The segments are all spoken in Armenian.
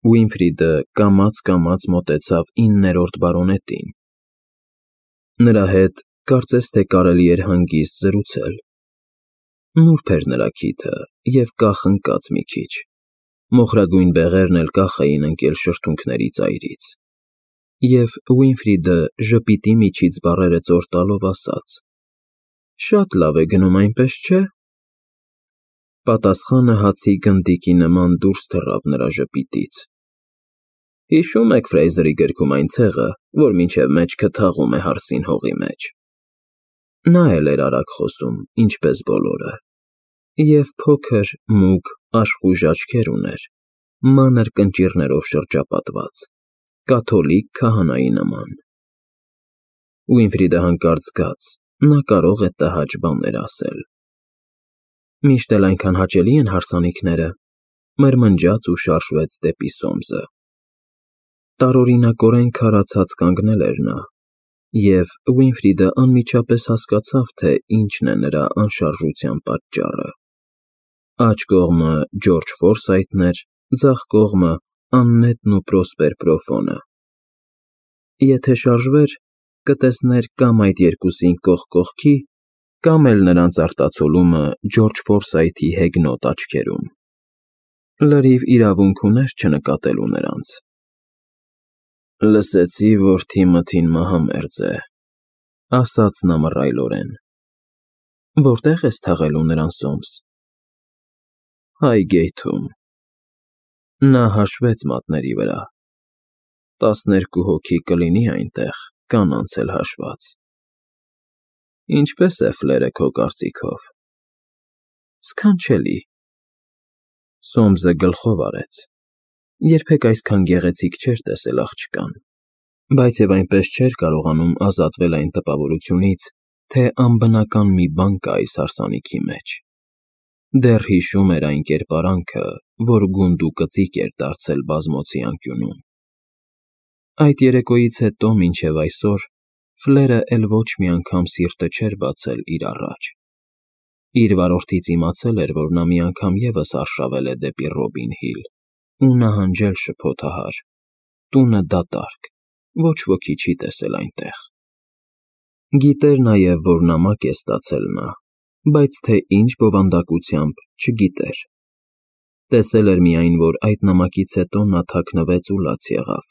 Ուինֆրիդը կամաց մոտեցավ 9-րդ բարոնետին. նրա հետ կարծես թե կարելի էր հանգիստ զրուցել. նուրբ էր նրա քիթը և կախ ընկած մի քիչ, մոխրագույն բեղերն էլ կախ էին ընկել շրթունքների ծայրից, և Ուինֆրիդը ժպիտի միջից բառերը ծոր տալով ասաց. շատ լավ է գնում, այնպես չէ՞։ Պատասխանը հացի գնդիկի նման դուրս թռավ նրա ժպիտից. հիշո՞ւմ եք Ֆրեյզերի գրքում այն ցեղը, որ մինչև մեջքը թաղում է հարսին հողի մեջ։ Նա էլ էր արագ խոսում, ինչպես բոլորը, և փոքր, մուգ, աշխույժ աչքեր ուներ, մանր կնճիռներով շրջապատված, կաթոլիկ քահանայի նման։ Ուինֆրիդը հանկարծ զգաց, նա կարող է տհաճ բաներ ասել։ Միշտ էլ այնքան հաճելի են հարսանիքները, մրմնջաց ու շարժվեց դեպի Սոմսը։ Տարօրինակորեն քարացած կանգնել էր նա, և Ուինֆրիդը անմիջապես հասկացավ, թե ինչն է նրա անշարժության պատճառը։ Աջ կողմը Ջորջ Ֆորսայթն էր, ձախ կողմը Աննետն ու Պրոսպեր Պրոֆոնը։ Եթե շարժվեր, կտեսներ կամ այդ երկուսին կողք կողքի, կամ էլ նրանց արտացոլումը Ջորջ Ֆորսայթի հեգնոտ աչքերում։ Լրիվ իրավունք ուներ չնկատելու նրանց։ Լսեցի, որ Թիմոթին մահամերձ է, ասաց նա մռայլորեն։ Որտե՞ղ ես թաղելու նրան, Սոմս։ Հայգեյթում։ Նա հաշվեց մատների վրա։ 12 հոգի կլինի այնտեղ, կանանց էլ հաշված։ Ինչպե՞ս է Ֆլերը քո կարծիքով։ Սքանչելի։ Սոմսը գլխով արեց։ Երբեք այսքան գեղեցիկ չէր տեսել աղջկան, բայց և այնպես չէր կարողանում ազատվել այն տպավորությունից, թե անբնական մի բան կա այս հարսանիքի մեջ։ Դեռ հիշում էր այն կերպարանքը, որ գունդ ու կծիկ էր դարձել բազմոցի անկյունում։ Այդ երեկոյից հետո մինչև այսօր Ֆլերը էլ ոչ մի անգամ սիրտը չէր բացել իր առաջ։ Իր վարորդից իմացել էր, որ նա մի անգամ ևս արշավել է դեպի Ռոբին Հիլ ու նահանջել շփոթահար, տունը դատարկ, ոչ ոքի չի տեսել այնտեղ։ Գիտեր նաև, որ նամակ է ստացել նա, բայց թե ինչ բովանդակությամբ, չգիտեր։ Տեսել էր միայն, որ այդ նամակից հետո նա թաքնվեց ու լաց եղավ։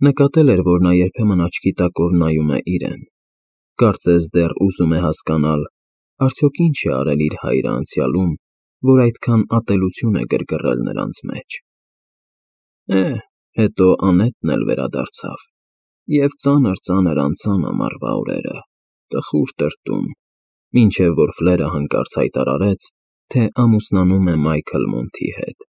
Նկատել էր, որ նա երբեմն աչքի տակով նայում է իրեն, կարծես դեռ ուզում է հասկանալ, արդյոք ինչ է արել իր հայրը անցյալում, որ այդքան ատելություն է գրգռել նրանց մեջ։ Հետո Անետն էլ վերադարձավ, և ծանր անցան ամառվա օրերը, տխուր տրտում, մինչև որ Ֆլերը հանկարծ հայտարարեց, թե ամուսնանում է Մայքլ Մոնթի հետ։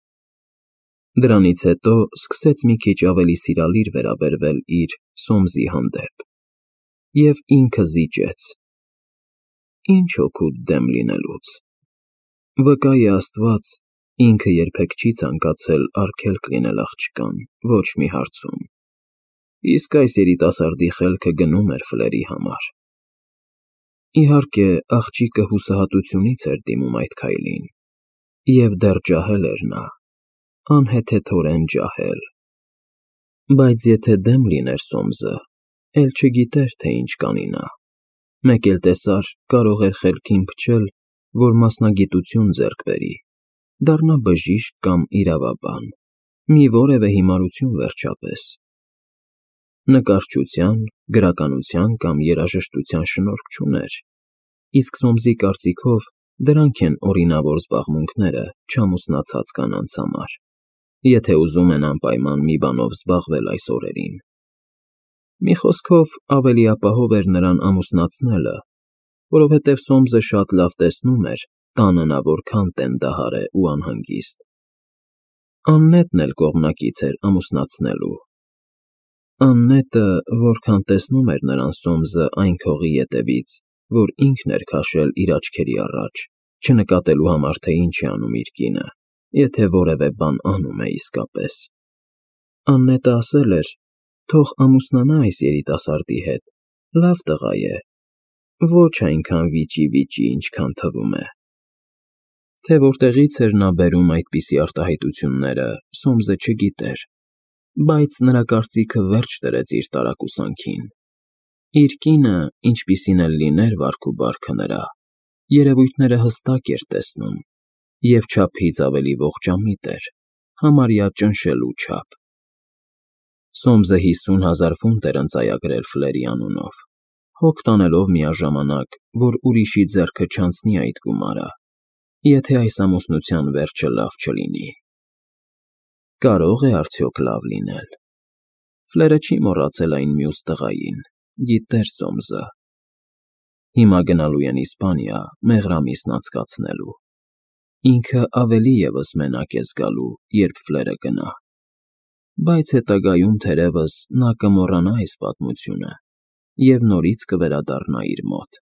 Դրանից հետո սկսեց մի քիչ ավելի սիրալիր վերաբերվել իր Սոմսի հանդեպ, և ինքը զիջեց։ Ինչ օգուտ դեմ լինելուց։ Վկա է Աստված, ինքը երբեք չի ցանկացել արգելք լինել աղջկան, ոչ մի հարցում։ Իսկ այս երիտասարդի խելքը գնում էր Ֆլերի համար։ Իհարկե, աղջիկը հուսահատությունից էր դիմում այդ քայլին, և դեռ ջահել էր նա, անհեթեթորեն ջահել։ Բայց եթե դեմ լիներ Սոմսը, էլ չգիտեր, թե ինչ կանի նա։ Մեկ էլ տեսար, կարող էր խելքին փչել, որ մասնագիտություն ձեռք բերի, դառնա բժիշկ կամ իրավաբան, մի որևէ հիմարություն վերջապես։ Նկարչության, գրականության կամ երաժշտության շնորհք չուներ, իսկ Սոմսի կարծիքով դրանք են օրինավոր զբաղմունքները չամուսնացած կանանց համար, եթե ուզում են անպայման մի բանով զբաղվել այս օրերին։ Մի խոսքով, ավելի ապահով էր նրան ամուսնացնելը, որովհետև Սոմսը շատ լավ տեսնում էր, տանը նա որքան տենդահար է ու անհանգիստ։ Աննետն էլ կողմնակից էր ամուսնացնելու։ Աննետը, որքան տեսնում էր նրան Սոմսը այն քողի ետևից, որ ինքն էր քաշել իր աչքերի առաջ, չնկատելու համար, թե ինչ է անում իր կինը, եթե որևէ բան անում է իսկապես։ Աննետը ասել էր, թող ամուսնանա այս երիտասարդի հետ, լավ տղա է, ոչ այնքան վիճի, ինչքան թվում է։ Թե որտեղից էր նա բերում այդպիսի արտահայտությունները, Սոմսը չգիտեր, բայց նրա կարծիքը վերջ դրեց իր տարակուսանքին. իր կինը, ինչպիսին էլ լիներ վարք ու բարքը նրա, երևույթները հստակ էր տեսնում և չափից ավելի ողջամիտ էր, համարյա ճնշելու չափ։ Սոմսը 50,000 ֆունտ էր ընծայագրել Ֆլերի անունով, հոգ տանելով միաժամանակ, որ ուրիշի ձեռքը չանցնի այդ գումարը, եթե այս ամուսնության վերջը լավ չլինի։ Կարո՞ղ է արդյոք լավ լինել։ Ֆլերը չի մոռացել այն մյուս տղային, գիտեր Սոմսը։ Հիմա գնալու են Իսպանիա մեղրամիսն անցկացնելու։ Ինքը ավելի ևս մենակ է զգալու, երբ Ֆլերը գնա, բայց հետագայում թերևս նա կմոռանա այս պատմությունը և նորից կվերադառնա իր մոտ։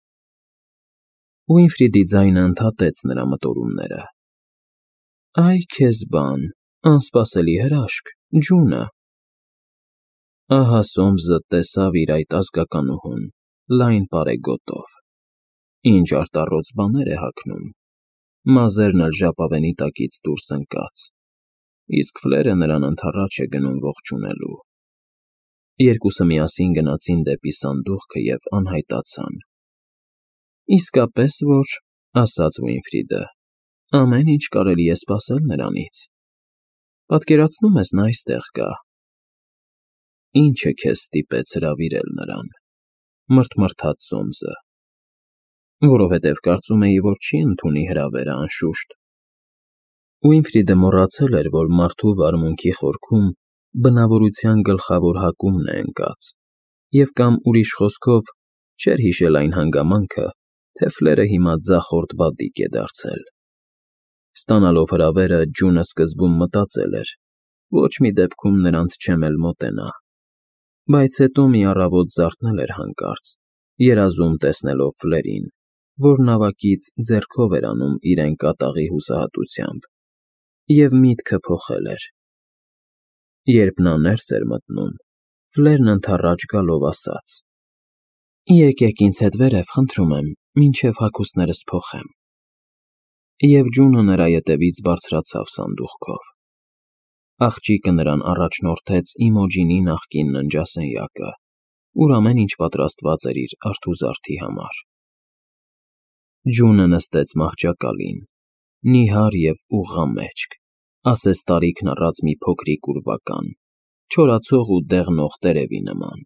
Ուինֆրիդի ձայնը ընդհատեց նրա մտորումները. «Այ քեզ բան, անսպասելի հրաշք, Ջունը»։ Ահա Սոմսը տեսավ իր այդ ազգականուհուն լայն պարեգոտով։ Ինչ արտառոց բաներ է հագնում, մազերն էլ ժապավենի տակից դուրս ընկած, իսկ Ֆլերը նրան ընդառաջ է գնում ողջունելու։ Երկուսը միասին գնացին դեպի սանդուղքը և անհայտացան։ «Իսկապես որ,֊ ասաց Ուինֆրիդը,֊ ամեն ինչ կարելի է սպասել նրանից։ Պատկերացնո՞ւմ ես նա այստեղ կա»։ «Ի՞նչը քեզ ստիպեց հրավիրել նրան,֊ մռթմռթաց Սոմսը։ «Որովհետև կարծում էի, որ չի ընդունի հրավերը, անշուշտ»։ Ուինֆրիդը մոռացել էր, որ մարդու վարմունքի խորքում բնավորության գլխավոր հակումն է ընկած, և կամ ուրիշ խոսքով չէր հիշել այն հանգամանքը, թե Ֆլերը հիմա ձախորդ բադիկ է դարձել։ Ստանալով հրավերը՝ Ջունը սկզբում մտածել էր. ոչ մի դեպքում նրանց չեմ էլ մոտենա, բայց հետո մի առավոտ զարթնել էր հանկարծ, երազում տեսնելով Ֆլերին, որ նավակից ձեռքով էր անում իրեն կատաղի հուսահատությամբ, և միտքը փոխել էր։ Երբ նա ներս էր մտնում, Ֆլերն ընդառաջ գալով ասաց. «Եկեք ինձ հետ վերև, խնդրում եմ, մինչև հագուստներս փոխեմ»։ Եվ Ջունը նրա ետևից բարձրացավ սանդուղքով։ Աղջիկը նրան առաջնորդեց Իմոջինի նախկին ննջասենյակը, ուր ամեն ինչ պատրաստված էր իր արթուզարդի համար։ Ջունը նստեց մահճակալին, նիհար և ուղղամեջք, ասես տարիքն առած մի փոքրիկ ուրվական, չորացող ու դեղնող տերևի նման։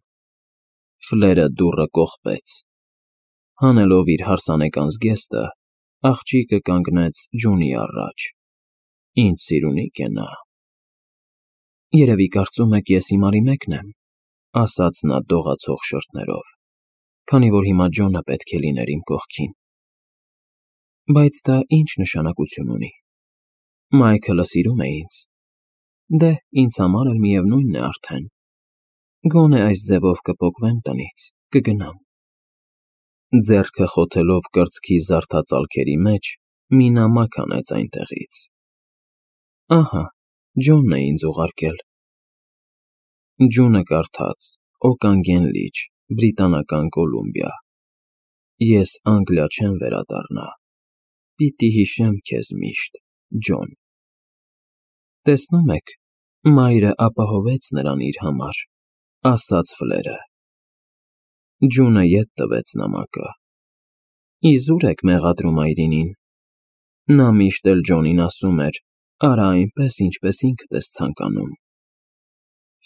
Ֆլերը դուռը կողպեց։ Հանելով իր հարսանեկան զգեստը, աղջիկը կանգնեց Ջունի առաջ։ Ինչ սիրունիկ է նա։ «Երևի կարծում եք ես հիմարի մեկն եմ,֊ ասաց նա դողացող շրթներով,֊ քանի որ հիմա Ջոնը պետք է լիներ իմ կողքին։ Բայց դա ի՞նչ նշանակություն ունի։ Մայքլը սիրում է ինձ։ Դե, ինձ համար էլ միևնույնն է արդեն։ Գոնե այս ձևով կպոկվեմ տնից, կգնամ»։ Ձեռքը խոթելով կրծքի զարդածալքերի մեջ, մի նամակ հանեց այնտեղից։ «Ահա, Ջոնն է ինձ ուղարկել»։ Ջունը կարդաց. «Օկանգեն լիճ, Բրիտանական Կոլումբիա։ Ես Անգլիա չեմ վերադառնա։ Պիտի հիշեմ քեզ միշտ, Ջոն»։ Տեսնում եք, մայրը ապահովեց նրան իր համար, ասաց Ֆլերը։ Ջունը ետ տվեց նամակը։ Իզուր եք մեղադրում այրինին։ Նա միշտ էլ Ջոնին ասում էր. «Արա այնպես, ինչպես ինքդ ես ցանկանում»։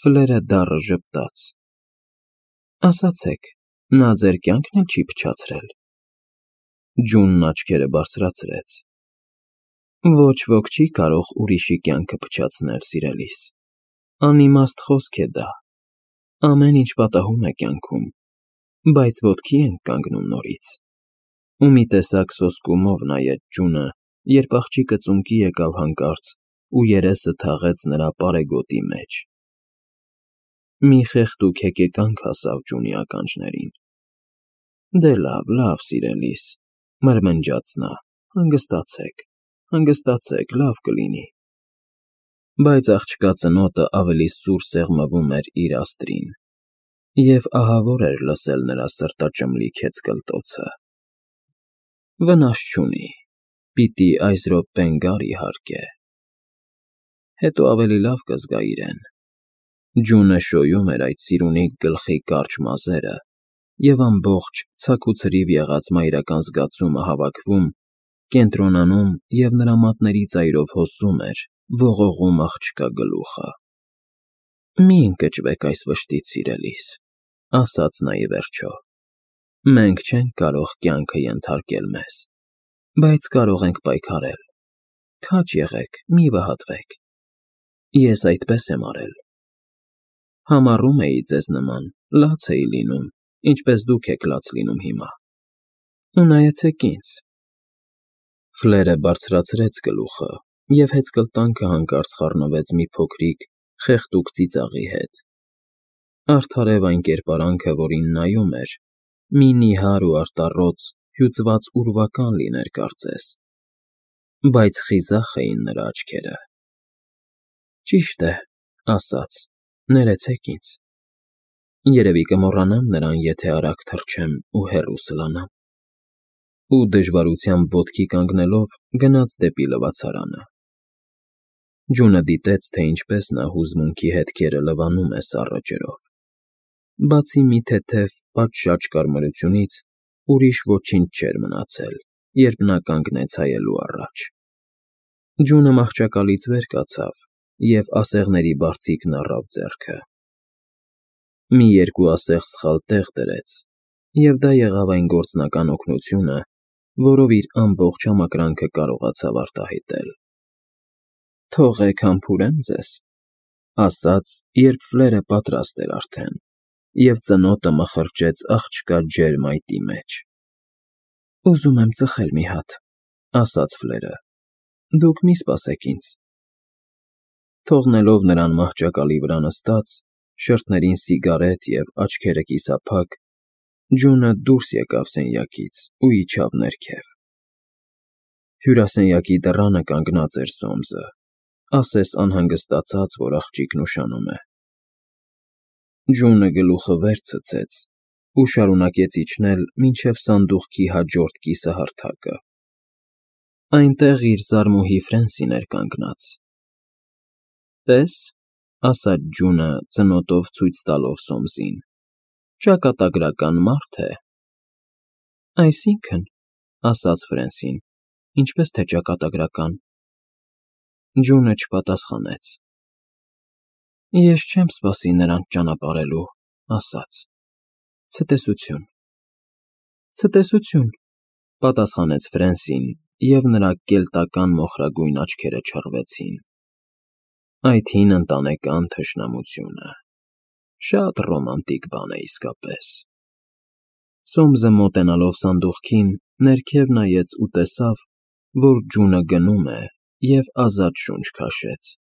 Ֆլերը դառը ժպտաց։ Ասացեք, նա ձեր կյանքն էլ չի փչացրել։ Ջունն աչքերը բարձրացրեց։ Ոչ ոք չի կարող ուրիշի կյանքը փչացնել, սիրելիս։ Անիմաստ խոսք է դա։ Ամեն ինչ պատահում է կյանքում, բայց ոտքի ենք կանգնում նորից։ Ու մի տեսակ սոսկումով նայեց Ջունը, երբ աղջիկը ծունկի եկավ հանկարծ ու երեսը թաղեց նրա պարեգոտի մեջ։ Մի խեղդուկ հեկեկանք հասավ Ջունի ականջներին։ Դե լավ, սիրելիս, մրմնջաց նա, հանգստացեք, լավ կլինի։ Բայց աղջկա ծնոտը ավելի սուր սեղմվում էր իր աստրին, և ահավոր էր լսել նրա սրտաճմլիկ հեծկլտոցը։ Վնաս չունի, Պիտի այս րոպեն գար, իհարկե։ Հետո ավելի լավ կզգա իրեն։ Ջունը շոյում էր այդ սիրունիկ գլխի կարճ մազերը, և ամբողջ ցաքուցրիվ եղած մայրական զգացումը հավաքվում, կենտրոնանում և նրա մատների ծայրով հոսում էր, ողողում աղջկա գլուխը։ «Մի ընկճվեք այս վշտից, սիրելիս,֊ ասաց նա ի վերջո։ Մենք չենք կարող կյանքը ենթարկել մեզ, բայց կարող ենք պայքարել։ Քաջ եղեք, մի վհատվեք։ Ես այդպես եմ արել։ Համառում էի ձեզ նման, լաց էի լինում, ինչպես դուք եք լաց լինում հիմա։ Ու նայեցեք ինձ»։ Ֆլերը բարձրացրեց գլուխը, և հեծկլտանքը հանկարծ խառնվեց մի փոքրիկ, խեղդուկ ծիծաղի հետ։ Արդարև այն կերպարանքը, որին նայում էր, մի նիհար ու արտառոց, հյուծված ուրվական լիներ կարծես, բայց խիզախ էին նրա աչքերը։ «Ճիշտ է,֊ ասաց,֊ ներեցեք ինձ։ Երևի կմոռանամ նրան, եթե արագ թռչեմ ու հեռու սլանամ»։ Ու դժվարությամբ ոտքի կանգնելով՝ գնաց դեպի լվացարանը։ Ջունը դիտեց, թե ինչպես նա հուզմունքի հետքերը լվանում է սառը ջրով։ Բացի մի թեթև պատշաճ կարմրությունից, ուրիշ ոչինչ չէր մնացել, երբ նա կանգնեց հայելու առաջ։ Ջունը մահճակալից վեր կացավ և ասեղների բարձիկն առավ ձեռքը։ Մի երկու ասեղ սխալ տեղ դրեց, և դա եղավ այն գործնական օգնությունը, որով իր ամբողջ համակրանքը կարողացավ արտահայտել։ «Թողեք համբուրեմ ձեզ,֊ ասաց, երբ Ֆլերը պատրաստ էր արդեն, և ծնոտը մխրճեց աղջկա ջերմ այտի մեջ։ Ուզում եմ ծխել մի հատ,֊ ասաց Ֆլերը։ Դուք մի սպասեք ինձ։ Թողնելով նրան մահճակալի վրա նստած, շրթերին սիգարետ և աչքերը կիսափակ, Ջունը դուրս եկավ սենյակից ու իջավ ներքև։ Հյուրասենյակի դռանը կանգնած էր Սոմսը, ասես անհանգստացած, որ աղջիկն ուշանում է։ Ջունը գլուխը վեր ցցեց ու շարունակեց իջնել մինչև սանդուղքի հաջորդ կիսահարթակը։ Այնտեղ իր զարմուհի Ֆրենսին էր կանգնած։ «Տես,֊ ասաց Ջունը, ծնոտով ցույց տալով Սոմսին,֊ ճակատագրական մարդ է»։ «Այսինքն,֊ ասաց Ֆրենսին,֊ ինչպես թե ճակատագրական»։ Ջունը չպատասխանեց։ «Ես չեմ սպասի նրան ճանապարհելու,֊ ասաց,֊ ցտեսություն»։ «Ցտեսություն,֊ պատասխանեց Ֆրենսին, և նրա կելտական մոխրագույն աչքերը չռվեցին։ Այդ հին ընտանեկան թշնամությունը… Շատ ռոմանտիկ բան է իսկապես։ Սոմսը մոտենալով սանդուղքին, ներքև նայեց ու տեսավ, որ Ջունը գնում է, և ազատ շունչ քաշեց։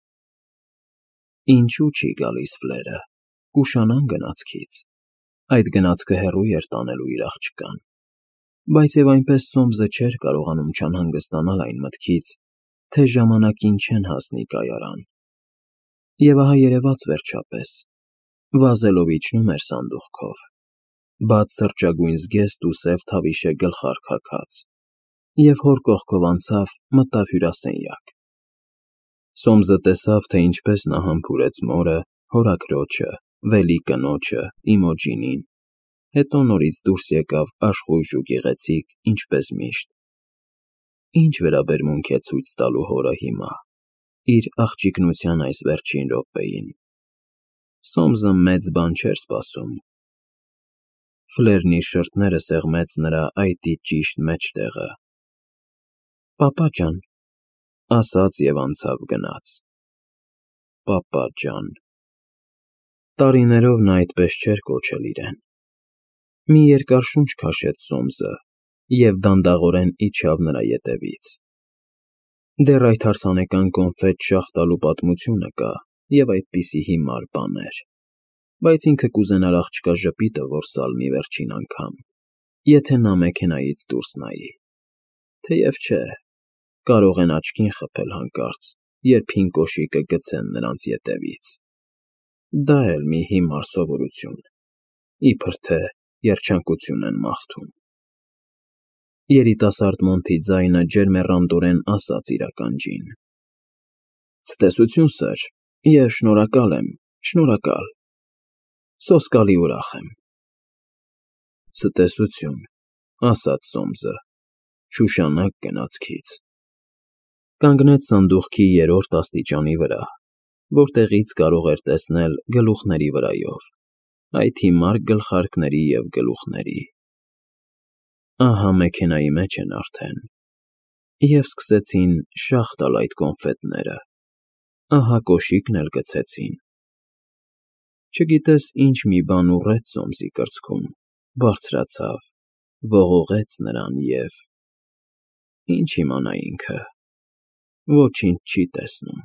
Ինչու չի գալիս Ֆլերը, կուշանան գնացքից։ Այդ գնացքը հեռու էր տանելու իր աղջկան։ Բայց և այնպես Սոմսը չէր կարողանում չանհանգստանալ այն մտքից, թե ժամանակին չեն հասնի կայարան։ Եվ ահա երևաց վերջապես, վազելով իջնում էր սանդուղքով, բաց սրճագույն զգեստ ու սև թավիշե գլխարկ և հոր կողքով անցավ, մտավ հյուրասենյակ։ Սոմսը տեսավ, թե ինչպես նա համբուրեց մորը, հորաքրոջը, վելի կնոջը, Իմոջինին, հետո նորից դուրս եկավ աշխույժ ու գեղեցիկ, ինչպես միշտ։ Ինչ վերաբերմունք է ցույց տալու հորը հիմա, իր աղջիկնության այս վերջին րոպեին։ Սոմսը մեծ բան չէր սպասում։ Ֆլերն իր շրթերը սեղմեց նրա այտի ճիշտ մեջտեղը։ «Պապա ջան,֊ ասաց և անցավ գնաց։ Պապա ջան… Տարիներով նա այդպես չէր կոչել իրեն։ Մի երկար շունչ քաշեց Սոմսը և դանդաղորեն իջավ նրա ետևից։ Դեռ այդ հարսանեկան կոնֆետ շաղ տալու պատմությունը կա և այդպիսի հիմար բաներ, բայց ինքը կուզենար աղջկա ժպիտը որսալ մի վերջին անգամ, եթե նա մեքենայից դուրս նայի։ Թեև չէ, կարող են աչքին խփել հանկարծ, երբ հին կոշիկը գցեն նրանց ետևից։ Դա էլ մի հիմար սովորություն, իբր թե երջանկություն են մաղթում։ Երիտասարդ Մոնթի ձայնը ջերմեռանդորեն ասաց իր ականջին. Ցտեսություն, սըր, և շնորհակալ եմ, շնորհակալ, սոսկալի ուրախ եմ։ Ցտեսություն, ասաց Սոմսը, շուշանակ գնացքից։ Կանգնեց սանդուղքի երրորդ աստիճանի վրա, որտեղից կարող էր տեսնել գլուխների վրայով, այդ հիմար գլխարկների և գլուխների։ Ահա մեքենայի մեջ են արդեն, և սկսեցին շաղ տալ այդ կոնֆետները, ահա կոշիկն էլ գցեցին։ Չգիտես ինչ մի բան ուռեց Սոմսի կրծքում, բարձրացավ, ողողեց նրան և… Ինչ իմանա ինքը… ոչինչ չի տեսնում։